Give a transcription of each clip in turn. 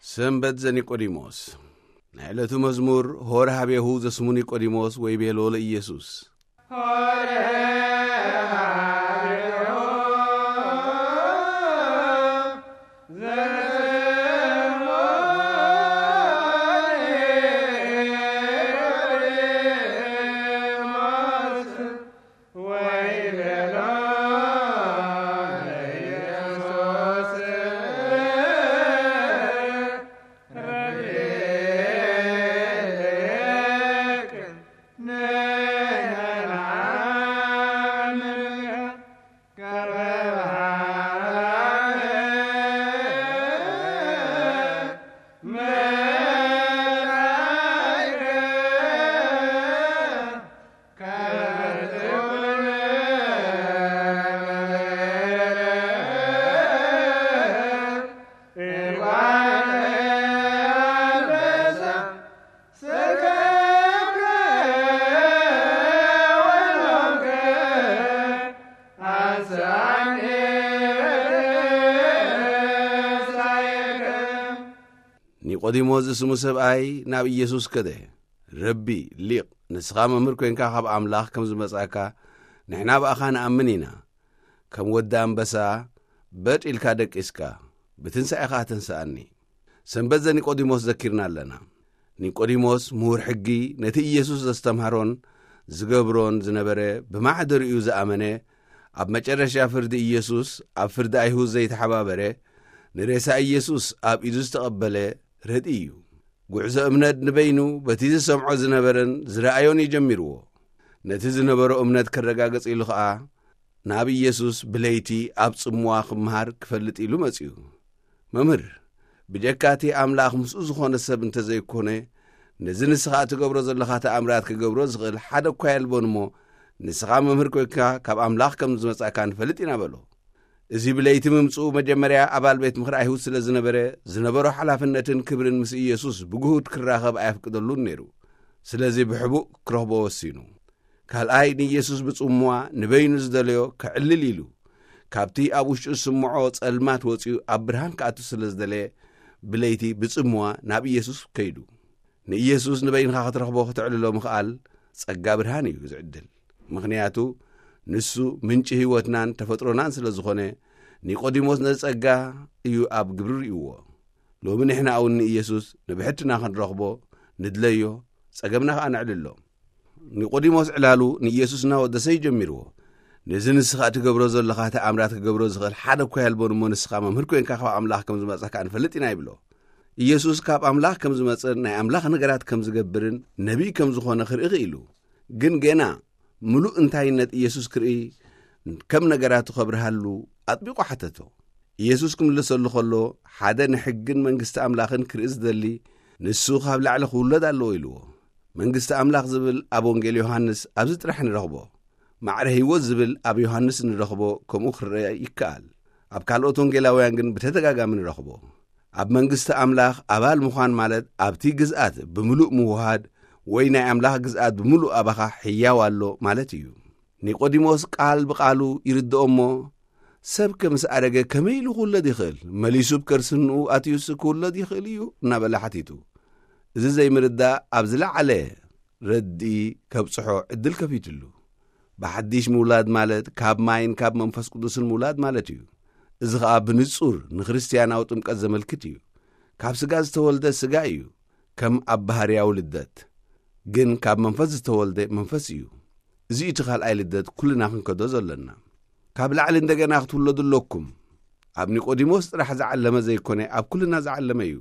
ሰንበት ዘኒቆዲሞስ። ናይ ዕለቱ መዝሙር። ሆረ ሃቤሁ ዘስሙ ኒቆዲሞስ ወይ ቤሎ ለኢየሱስ። ኒቆዲሞስ ዝስሙ ሰብኣይ ናብ ኢየሱስ ከደ። ረቢ፣ ሊቕ፣ ንስኻ መምህር ኮይንካ ካብ ኣምላኽ ከም ዝመጻእካ ንሕና ብኣኻ ንኣምን ኢና። ከም ወዲ ኣንበሳ በጥ ኢልካ ደቂስካ፣ ብትንሳኤ ኸኣ ተንስኣኒ። ሰንበት ዘኒቆዲሞስ ዘኪርና ኣለና። ኒቆዲሞስ ምሁር ሕጊ፣ ነቲ ኢየሱስ ዘስተምሃሮን ዝገብሮን ዝነበረ ብማሕደሪኡ ዝኣመነ፣ ኣብ መጨረሻ ፍርዲ ኢየሱስ ኣብ ፍርዲ ኣይሁድ ዘይተሓባበረ፣ ንሬሳ ኢየሱስ ኣብ ኢዱ ዝተቐበለ ረድኢ እዩ። ጉዕዞ እምነት ንበይኑ በቲ ዝሰምዖ ዝነበረን ዝረኣዮን እዩ ጀሚርዎ። ነቲ ዝነበሮ እምነት ከረጋግጽ ኢሉ ኸኣ ናብ ኢየሱስ ብለይቲ ኣብ ጽምዋ ክምሃር ክፈልጥ ኢሉ መጺኡ። መምህር፣ ብጀካ እቲ ኣምላኽ ምስኡ ዝኾነ ሰብ እንተ ዘይኮነ፣ ነዚ ንስኻ እትገብሮ ዘለኻ ተኣምራት ክገብሮ ዝኽእል ሓደ እኳ የልቦን እሞ፣ ንስኻ መምህር ኮይንካ ካብ ኣምላኽ ከም ዝመጻእካ ንፈልጥ ኢና በሎ። እዚ ብለይቲ ምምጽኡ መጀመርያ ኣባል ቤት ምኽሪ ኣይሁድ ስለ ዝነበረ፣ ዝነበሮ ሓላፍነትን ክብርን ምስ ኢየሱስ ብግሁድ ክራኸብ ኣየፍቅደሉን ነይሩ። ስለዚ ብሕቡእ ክረኽቦ ወሲኑ። ካልኣይ ንኢየሱስ ብጽምዋ ንበይኑ ዝደለዮ ከዕልል ኢሉ፣ ካብቲ ኣብ ውሽጡ ዝስምዖ ጸልማት ወጺኡ ኣብ ብርሃን ክኣቱ ስለ ዝደለየ፣ ብለይቲ ብጽምዋ ናብ ኢየሱስ ከይዱ። ንኢየሱስ ንበይንኻ ክትረኽቦ፣ ክተዕልሎ ምኽኣል ጸጋ ብርሃን እዩ ዝዕድል። ምኽንያቱ ንሱ ምንጪ ህይወትናን ተፈጥሮናን ስለ ዝኾነ፣ ኒቆዲሞስ ነዚ ጸጋ እዩ ኣብ ግብሪ ርእይዎ። ሎሚ ንሕና እውን ንኢየሱስ ንብሕትና ክንረኽቦ ንድለዮ፣ ጸገምና ከኣ ነዕልሎ። ኒቆዲሞስ ዕላሉ ንኢየሱስ እናወደሰ እዩ ጀሚርዎ። ነዚ ንስኻ እትገብሮ ዘለኻ ተኣምራት ክገብሮ ዝኽእል ሓደ እኳ የልቦን እሞ፣ ንስኻ መምህር ኮይንካ ካብ ኣምላኽ ከም ዝመጻእካ ንፈልጥ ኢና ይብሎ። ኢየሱስ ካብ ኣምላኽ ከም ዝመጽእን ናይ ኣምላኽ ነገራት ከም ዝገብርን ነቢይ ከም ዝኾነ ክርኢ ክኢሉ። ግን ገና ምሉእ እንታይነት ኢየሱስ ክርኢ፣ ከም ነገራቱ ከብርሃሉ ኣጥቢቑ ሓተቶ። ኢየሱስ ክምልሰሉ ከሎ፣ ሓደ ንሕግን መንግስቲ ኣምላኽን ክርኢ ዝደሊ፣ ንሱ ካብ ላዕሊ ክውለድ ኣለዎ ኢልዎ። መንግስቲ ኣምላኽ ዝብል ኣብ ወንጌል ዮሃንስ ኣብዚ ጥራሕ ንረኽቦ። ማዕረ ህይወት ዝብል ኣብ ዮሃንስ ንረኽቦ፣ ከምኡ ክረአ ይከኣል። ኣብ ካልኦት ወንጌላውያን ግን ብተደጋጋሚ ንረኽቦ። ኣብ መንግስቲ ኣምላኽ ኣባል ምዃን ማለት ኣብቲ ግዝኣት ብምሉእ ምውሃድ ወይ ናይ ኣምላኽ ግዝኣት ብምሉእ ኣባኻ ሕያው ኣሎ ማለት እዩ። ኒቆዲሞስ ቃል ብቓሉ ይርድኦ እሞ፣ ሰብ ከ ምስ ኣረገ ከመይ ኢሉ ክውለድ ይኽእል? መሊሱ ብከርሲ እንኡ ኣትዩስ ክውለድ ይኽእል እዩ? እናበለ ሓቲቱ። እዚ ዘይምርዳእ ኣብ ዝለዓለ ረድኢ ከብጽሖ ዕድል ከፊትሉ። ብሓድሽ ምውላድ ማለት ካብ ማይን ካብ መንፈስ ቅዱስን ምውላድ ማለት እዩ። እዚ ኸኣ ብንጹር ንክርስትያናዊ ጥምቀት ዘመልክት እዩ። ካብ ስጋ ዝተወልደ ስጋ እዩ፣ ከም ኣብ ባህርያዊ ልደት። ግን ካብ መንፈስ ዝተወልደ መንፈስ እዩ። እዚ እቲ ካልኣይ ልደት ኩልና ክንከዶ ዘሎና። ካብ ላዕሊ እንደገና ክትውለዱ ኣለኩም። ኣብ ኒቆዲሞስ ጥራሕ ዝዓለመ ዘይኮነ፣ ኣብ ኩልና ዝዓለመ እዩ።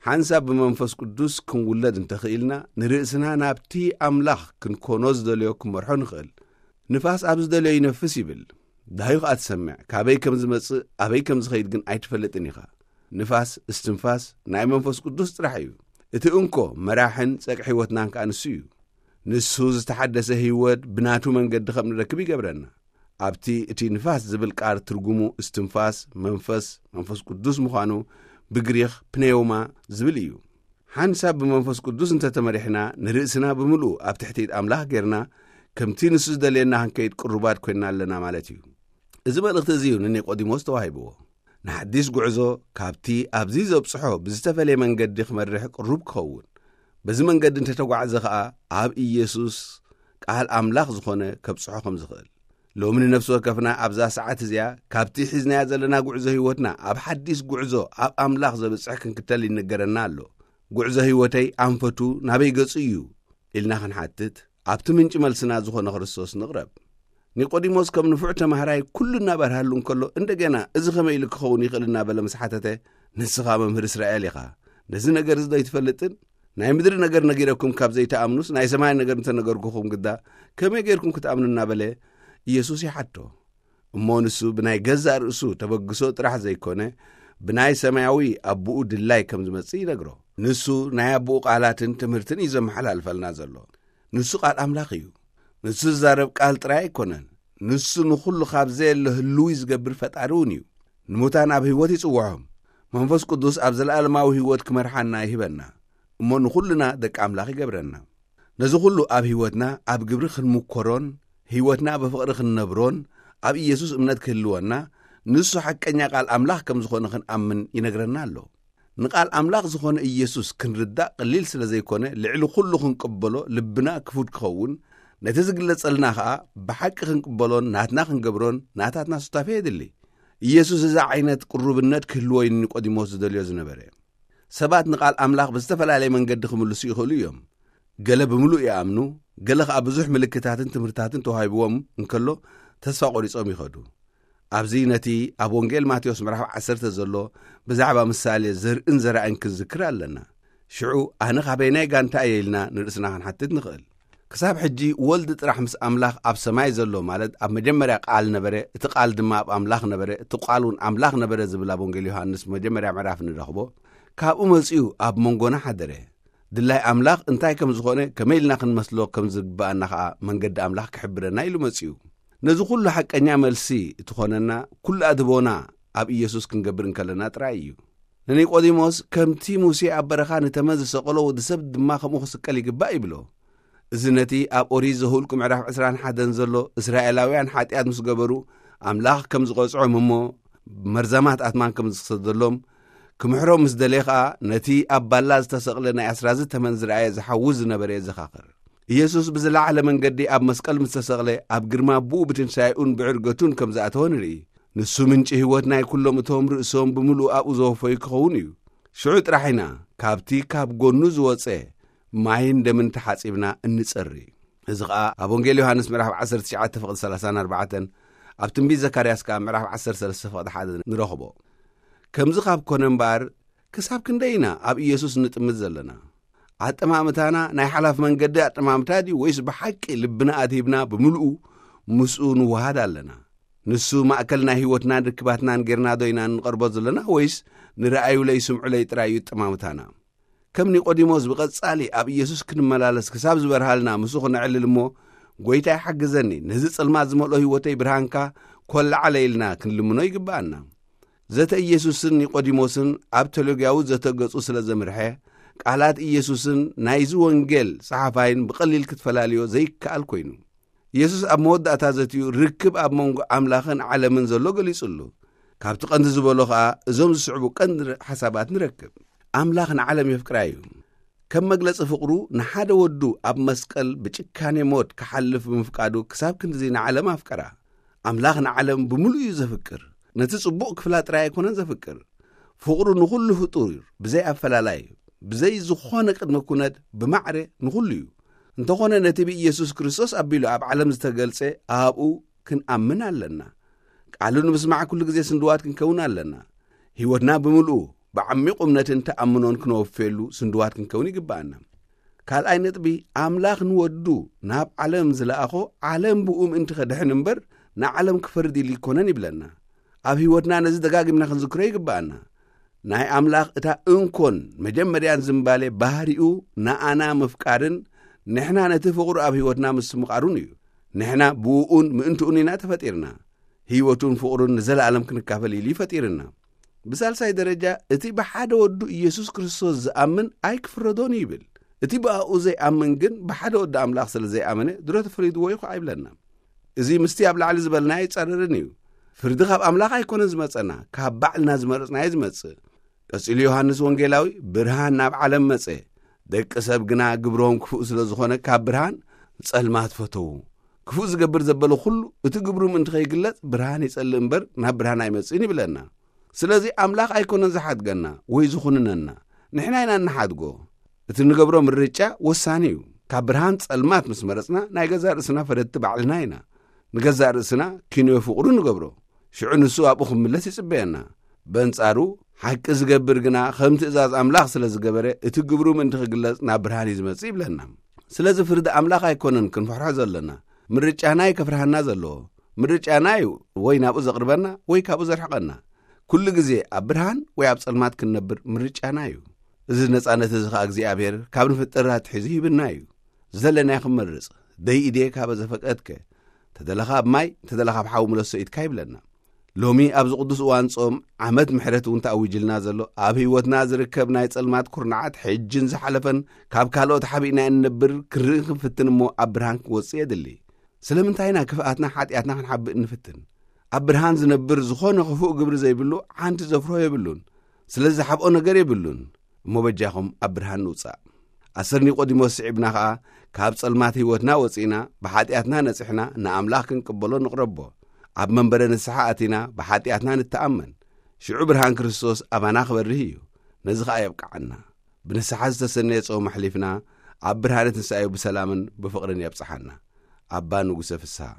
ሓንሳብ ብመንፈስ ቅዱስ ክንውለድ እንተኽኢልና፣ ንርእስና ናብቲ ኣምላኽ ክንኮኖ ዝደልዮ ክንመርሖ ንኽእል። ንፋስ ኣብ ዝደልዮ ይነፍስ ይብል። ዳህዩ ኸኣ ትሰምዕ፣ ካበይ ከም ዝመጽእ፣ ኣበይ ከም ዝኸይድ ግን ኣይትፈልጥን ኢኻ። ንፋስ፣ እስትንፋስ፣ ናይ መንፈስ ቅዱስ ጥራሕ እዩ። እቲ እንኮ መራሕን ጸግዒ ህይወትናን ከኣ ንሱ እዩ። ንሱ ዝተሓደሰ ህይወት ብናቱ መንገዲ ከም ንረክብ ይገብረና። ኣብቲ እቲ ንፋስ ዝብል ቃል ትርጉሙ እስትንፋስ፣ መንፈስ፣ መንፈስ ቅዱስ ምዃኑ ብግሪኽ ፕኔውማ ዝብል እዩ። ሓንሳብ ብመንፈስ ቅዱስ እንተተመሪሕና፣ ንርእስና ብምሉኡ ኣብ ትሕቲ ኣምላኽ ጌርና፣ ከምቲ ንሱ ዝደልየና ክንከይድ ቅሩባት ኮይንና ኣለና ማለት እዩ። እዚ መልእኽቲ እዚ እዩ ንኒቆዲሞስ ተዋሂብዎ። ንሓዲስ ጉዕዞ ካብቲ ኣብዚ ዘብጽሖ ብዝተፈለየ መንገዲ ክመርሕ ቅሩብ ክኸውን፣ በዚ መንገዲ እንተተጓዕዘ ኸኣ ኣብ ኢየሱስ ቃል ኣምላኽ ዝኾነ ከብጽሖ ከም ዝኽእል። ሎሚ ንነፍሲ ወከፍና ኣብዛ ሰዓት እዚኣ ካብቲ ሒዝናያ ዘለና ጉዕዞ ህይወትና ኣብ ሓዲስ ጉዕዞ ኣብ ኣምላኽ ዘብጽሕ ክንክተል ይነገረና ኣሎ። ጉዕዞ ህይወተይ ኣንፈቱ ናበይ ገጹ እዩ ኢልና ክንሓትት ኣብቲ ምንጪ መልስና ዝኾነ ክርስቶስ ንቕረብ። ኒቆዲሞስ ከም ንፉዕ ተማሃራይ ኩሉ እናበርሃሉ እንከሎ እንደገና እዚ ከመይ ኢሉ ክኸውን ይኽእል እናበለ ምስ ሓተተ፣ ንስኻ መምህር እስራኤል ኢኻ፣ ነዚ ነገር እዚ ዶ ኣይትፈልጥን? ናይ ምድሪ ነገር ነጊረኩም ካብ ዘይትኣምኑስ ናይ ሰማይ ነገር እንተነገርኩኹም ግዳ ከመይ ጌርኩም ክትኣምኑ እናበለ ኢየሱስ ይሓቶ። እሞ ንሱ ብናይ ገዛእ ርእሱ ተበግሶ ጥራሕ ዘይኮነ ብናይ ሰማያዊ ኣቦኡ ድላይ ከም ዝመጽእ ይነግሮ። ንሱ ናይ ኣቦኡ ቃላትን ትምህርትን እዩ ዘመሓላልፈልና ዘሎ። ንሱ ቃል ኣምላኽ እዩ። ንሱ ዝዛረብ ቃል ጥራይ ኣይኮነን። ንሱ ንኹሉ ካብ ዘየለ ህልዊ ዝገብር ፈጣሪ እውን እዩ። ንሙታን ኣብ ህይወት ይጽውዖም። መንፈስ ቅዱስ ኣብ ዘለኣለማዊ ህይወት ክመርሓና ይህበና። እሞ ንኹልና ደቂ ኣምላኽ ይገብረና። ነዚ ኩሉ ኣብ ህይወትና ኣብ ግብሪ ክንምኮሮን ህይወትና ብፍቕሪ ክንነብሮን ኣብ ኢየሱስ እምነት ክህልወና ንሱ ሓቀኛ ቃል ኣምላኽ ከም ዝኾነ ክንኣምን ይነግረና ኣሎ። ንቃል ኣምላኽ ዝኾነ ኢየሱስ ክንርዳእ ቀሊል ስለ ዘይኮነ ልዕሊ ኩሉ ክንቅበሎ ልብና ክፉት ክኸውን፣ ነቲ ዝግለጸልና ኸኣ ብሓቂ ክንቅበሎን ናትና ክንገብሮን ናታትና ሱታፌ የድሊ። ኢየሱስ እዚ ዓይነት ቅሩብነት ክህልዎ እዩ ኒቆዲሞስ ዝደልዮ ዝነበረ። ሰባት ንቃል ኣምላኽ ብዝተፈላለየ መንገዲ ክምልሱ ይኽእሉ እዮም። ገለ ብምሉእ ይኣምኑ፣ ገለ ኸኣ ብዙሕ ምልክታትን ትምህርታትን ተዋሂብዎም እንከሎ ተስፋ ቆሪጾም ይኸዱ። ኣብዚ ነቲ ኣብ ወንጌል ማቴዎስ ምዕራፍ ዓሰርተ ዘሎ ብዛዕባ ምሳሌ ዘርእን ዘራእን ክንዝክር ኣለና። ሽዑ ኣነ ካበይናይ ጋንታ እየ ኢልና ንርእስና ክንሓትት ንኽእል። ክሳብ ሕጂ ወልድ ጥራሕ ምስ ኣምላኽ ኣብ ሰማይ ዘሎ ማለት ኣብ መጀመርያ ቃል ነበረ፣ እቲ ቃል ድማ ኣብ ኣምላኽ ነበረ፣ እቲ ቃል እውን ኣምላኽ ነበረ ዝብል ኣብ ወንጌል ዮሃንስ መጀመርያ ምዕራፍ ንረኽቦ። ካብኡ መጺኡ ኣብ መንጎና ሓደረ። ድላይ ኣምላኽ እንታይ ከም ዝኾነ ከመይ ኢልና ክንመስሎ ከም ዝግብኣና ኸኣ መንገዲ ኣምላኽ ክሕብረና ኢሉ መጺኡ። ነዚ ኩሉ ሓቀኛ መልሲ እትኾነና ኩሉ ኣድህቦና ኣብ ኢየሱስ ክንገብር እንከለና ጥራይ እዩ። ንኒቆዲሞስ ከምቲ ሙሴ ኣብ በረኻ ንተመን ዝሰቀሎ ወዲ ሰብ ድማ ከምኡ ክስቀል ይግባእ ይብሎ። እዚ ነቲ ኣብ ኦሪት ዘሁልቁ ምዕራፍ ዕስራን ሓደን ዘሎ እስራኤላውያን ሓጢኣት ምስ ገበሩ ኣምላኽ ከም ዝቐጽዖም እሞ መርዛማት ኣትማን ከም ዝሰደሎም ክምሕሮም ምስ ደለየ ኸኣ ነቲ ኣብ ባላ ዝተሰቕለ ናይ ኣስራዚ ተመን ዝረኣየ ዝሓዊ ዝነበረ የዘኻኽር። ኢየሱስ ብዝለዓለ መንገዲ ኣብ መስቀል ምስ ተሰቕለ ኣብ ግርማ ኣቦኡ ብትንሳኤኡን ብዕርገቱን ከም ዝኣተወ ንርኢ። ንሱ ምንጪ ህይወት ናይ ኩሎም እቶም ርእሶም ብምሉእ ኣብኡ ዘወፈዩ ክኸውን እዩ። ሽዑ ጥራሕ ኢና ካብቲ ካብ ጎኑ ዝወጸ ማይን ደምን ተሓጺብና እንጸሪ። እዚ ኸኣ ኣብ ወንጌል ዮሃንስ ምዕራፍ ዓሰርተ ትሽዓተ ፍቕዲ ሰላሳን ኣርባዕተን፣ ኣብ ትንቢት ዘካርያስ ከኣ ምዕራፍ ዓሰርተ ሰለስተ ፍቕዲ ሓደ ንረኽቦ። ከምዚ ካብ ኮነ እምበኣር ክሳብ ክንደይ ኢና ኣብ ኢየሱስ ንጥምት ዘለና? ኣጠማምታና ናይ ሓላፍ መንገዲ ኣጠማምታ ድዩ ወይስ ብሓቂ ልብና ኣድሂብና ብምልኡ ምስኡ ንወሃድ ኣለና? ንሱ ማእከል ናይ ህይወትናን ርክባትናን ጌርና ዶ ኢና እንቐርቦ ዘለና ወይስ ንረኣዩለይ ስምዑለይ ጥራይ እዩ ኣጠማምታና? ከም ኒቆዲሞስ ብቐጻሊ ኣብ ኢየሱስ ክንመላለስ ክሳብ ዝበርሃልና ምስኡ ክነዕልል እሞ፣ "ጐይታይ ሓግዘኒ፣ ነዚ ጸልማት ዝመልኦ ህይወተይ ብርሃንካ ኰልዓለ" ኢልና ክንልምኖ ይግብኣና። ዘተ ኢየሱስን ኒቆዲሞስን ኣብ ቴዎሎጊያዊ ዘተ ገጹ ስለ ዘምርሐ፣ ቃላት ኢየሱስን ናይዚ ወንጌል ጸሓፋይን ብቐሊል ክትፈላልዮ ዘይከኣል ኰይኑ። ኢየሱስ ኣብ መወዳእታ ዘትኡ ርክብ ኣብ መንጎ ኣምላኽን ዓለምን ዘሎ ገሊጹሉ። ካብቲ ቀንዲ ዝበሎ ኸኣ እዞም ዝስዕቡ ቀንዲ ሓሳባት ንረክብ። ኣምላኽ ንዓለም የፍቅራ እዩ። ከም መግለጺ ፍቕሩ ንሓደ ወዱ ኣብ መስቀል ብጭካኔ ሞት ክሓልፍ ብምፍቃዱ ክሳብ ክንድዚ ንዓለም ኣፍቀራ። ኣምላኽ ንዓለም ብምሉእ እዩ ዘፍቅር። ነቲ ጽቡቕ ክፍላ ጥራይ ኣይኮነን ዘፍቅር። ፍቕሩ ንኹሉ ፍጡር ብዘይ ኣፈላላይ፣ ብዘይ ዝኾነ ቅድመ ኩነት ብማዕረ ንኹሉ እዩ። እንተኾነ ነቲ ብኢየሱስ ክርስቶስ ኣቢሉ ኣብ ዓለም ዝተገልጸ ኣብኡ ክንኣምን ኣለና። ቃሉ ንምስማዕ ኩሉ ግዜ ስንድዋት ክንከውን ኣለና። ህይወትና ብምልኡ ብዓሚቕ እምነትን ተኣምኖን ክነወፍየሉ ስንድዋት ክንከውን ይግብኣና። ካልኣይ ነጥቢ፣ ኣምላኽ ንወዱ ናብ ዓለም ዝለኣኾ ዓለም ብኡ ምእንቲ ከድሕን እምበር ንዓለም ክፈርድ ኢሉ ኣይኮነን ይብለና። ኣብ ህይወትና ነዚ ደጋጊምና ክንዝክሮ ይግብኣና። ናይ ኣምላኽ እታ እንኮን መጀመርያን ዝምባሌ ባህሪኡ ንኣና ምፍቃርን ንሕና ነቲ ፍቕሩ ኣብ ህይወትና ምስምቓሩን እዩ። ንሕና ብእኡን ምእንትኡን ኢና ተፈጢርና። ህይወቱን ፍቕሩን ንዘለኣለም ክንካፈል ኢሉ እዩ ፈጢርና። ብሳልሳይ ደረጃ፣ እቲ ብሓደ ወዱ ኢየሱስ ክርስቶስ ዝኣምን ኣይክፍረዶን እዩ ይብል። እቲ ብኣኡ ዘይኣምን ግን ብሓደ ወዲ ኣምላኽ ስለ ዘይኣመነ ድሮ ተፈሪድዎ እዩ ኸዓ ይብለና። እዚ ምስቲ ኣብ ላዕሊ ዝበልና ኣይጻረርን እዩ። ፍርዲ ካብ ኣምላኽ ኣይኮነን ዝመጸና፣ ካብ ባዕልና ዝመረጽናዮ ዝመጽእ። ቀጺሉ ዮሃንስ ወንጌላዊ፣ "ብርሃን ናብ ዓለም መጸ፣ ደቂ ሰብ ግና ግብሮም ክፉእ ስለ ዝኾነ፣ ካብ ብርሃን ጸልማት ፈተዉ። ክፉእ ዝገብር ዘበለ ኩሉ፣ እቲ ግብሩ ምእንቲ ከይግለጽ፣ ብርሃን ይጸልእ እምበር፣ ናብ ብርሃን ኣይመጽእን" ይብለና። ስለዚ ኣምላኽ ኣይኮነን ዝሓድገና ወይ ዝኹንነና፣ ንሕና ኢና እንሓድጎ። እቲ ንገብሮ ምርጫ ወሳኒ እዩ። ካብ ብርሃን ጸልማት ምስ መረጽና፣ ናይ ገዛእ ርእስና ፈረድቲ ባዕልና ኢና። ንገዛእ ርእስና ኪንዮ ፍቕሩ ንገብሮ። ሽዑ ንሱ ኣብኡ ክምለስ ይጽበየና። በንጻሩ፣ ሓቂ ዝገብር ግና ከም ትእዛዝ ኣምላኽ ስለ ዝገበረ፣ እቲ ግብሩ ምእንቲ ክግለጽ ናብ ብርሃን እዩ ዝመጽእ ይብለና። ስለዚ ፍርዲ ኣምላኽ ኣይኮነን ክንፍሕሖ ዘለና። ምርጫና እዩ ከፍርሃና ዘለዎ። ምርጫና እዩ ወይ ናብኡ ዘቕርበና ወይ ካብኡ ዘርሕቐና። ኩሉ ግዜ ኣብ ብርሃን ወይ ኣብ ጸልማት ክንነብር ምርጫና እዩ። እዚ ነጻነት እዚ ኸኣ እግዚኣብሔር ካብ ንፍጥር ኣትሒዙ ሂብና እዩ። ዝደለናዮ ክንመርጽ፣ "ደይ ኢዴ ካበ ዘፈቀድከ፣ ተደለኻ ኣብ ማይ፣ ተደለኻ ኣብ ሓዊ ምለሶ ኢድካ" ይብለና። ሎሚ ኣብዚ ቅዱስ እዋን ጾም ዓመት ምሕረት እውን ተኣዊጅልና ዘሎ፣ ኣብ ህይወትና ዝርከብ ናይ ጸልማት ኩርናዓት ሕጅን ዝሓለፈን ካብ ካልኦት ሓቢእና እንነብር ክንርኢ ክንፍትን እሞ ኣብ ብርሃን ክንወጽእ የድሊ። ስለምንታይ ኢና ክፍኣትና ሓጢኣትና ክንሓብእ እንፍትን? ኣብ ብርሃን ዝነብር ዝኾነ ክፉእ ግብሪ ዘይብሉ ሓንቲ ዘፍሮ የብሉን። ስለዚ ዝሓብኦ ነገር የብሉን። እሞ በጃኹም ኣብ ብርሃን ንውጻእ። ኣስር ኒቆዲሞስ ስዒብና ኸኣ ካብ ጸልማት ህይወትና ወጺእና ብሓጢኣትና ነጺሕና ንኣምላኽ ክንቅበሎ ንቕረቦ። ኣብ መንበረ ንስሓ ኣቲና ብሓጢኣትና ንተኣመን። ሽዑ ብርሃን ክርስቶስ ኣባና ክበርህ እዩ። ነዚ ኸኣ የብቅዓና። ብንስሓ ዝተሰነየ ጾም ኣሕሊፍና ኣብ ብርሃነ ትንሳኤኡ ብሰላምን ብፍቕርን የብጽሓና። ኣባ ንጉሰ ፍስሃ።